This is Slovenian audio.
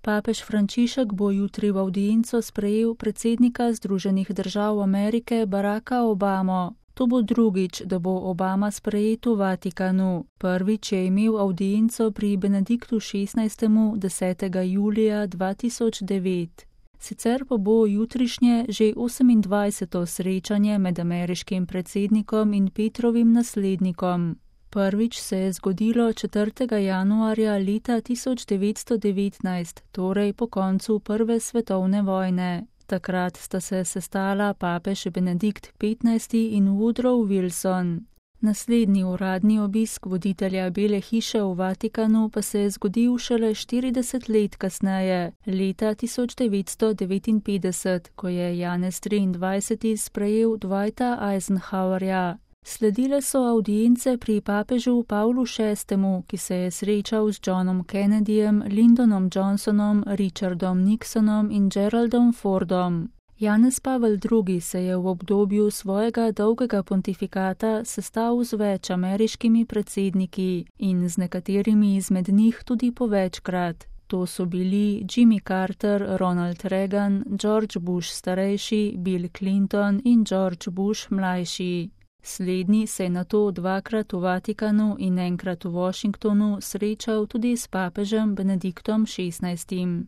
Papež Frančišek bo jutri v avdienco sprejel predsednika Združenih držav Amerike Baracka Obamo. To bo drugič, da bo Obama sprejet v Vatikanu. Prvič je imel avdienco pri Benediktu XVI. 10. julija 2009. Sicer pa bo jutrišnje že 28. srečanje med ameriškim predsednikom in Petrovim naslednikom. Prvič se je zgodilo 4. januarja leta 1919, torej po koncu Prve svetovne vojne. Takrat sta se sestala papež Benedikt XV in Woodrow Wilson. Naslednji uradni obisk voditelja Bele hiše v Vatikanu pa se je zgodil šele 40 let kasneje, leta 1959, ko je Janez XXIII. Sprejel Dwighta Eisenhowerja. Sledile so avdience pri papežu Pavlu VI., ki se je srečal z Johnom Kennedyjem, Lyndon Johnsonom, Richardom Nixonom in Geraldom Fordom. Janez Pavel II. Se je v obdobju svojega dolgega pontifikata sestal z več ameriškimi predsedniki in z nekaterimi izmed njih tudi po večkrat. To so bili Jimmy Carter, Ronald Reagan, George Bush starejši, Bill Clinton in George Bush mlajši. Slednji se je nato dvakrat v Vatikanu in enkrat v Washingtonu srečal tudi s papežem Benediktom XVI.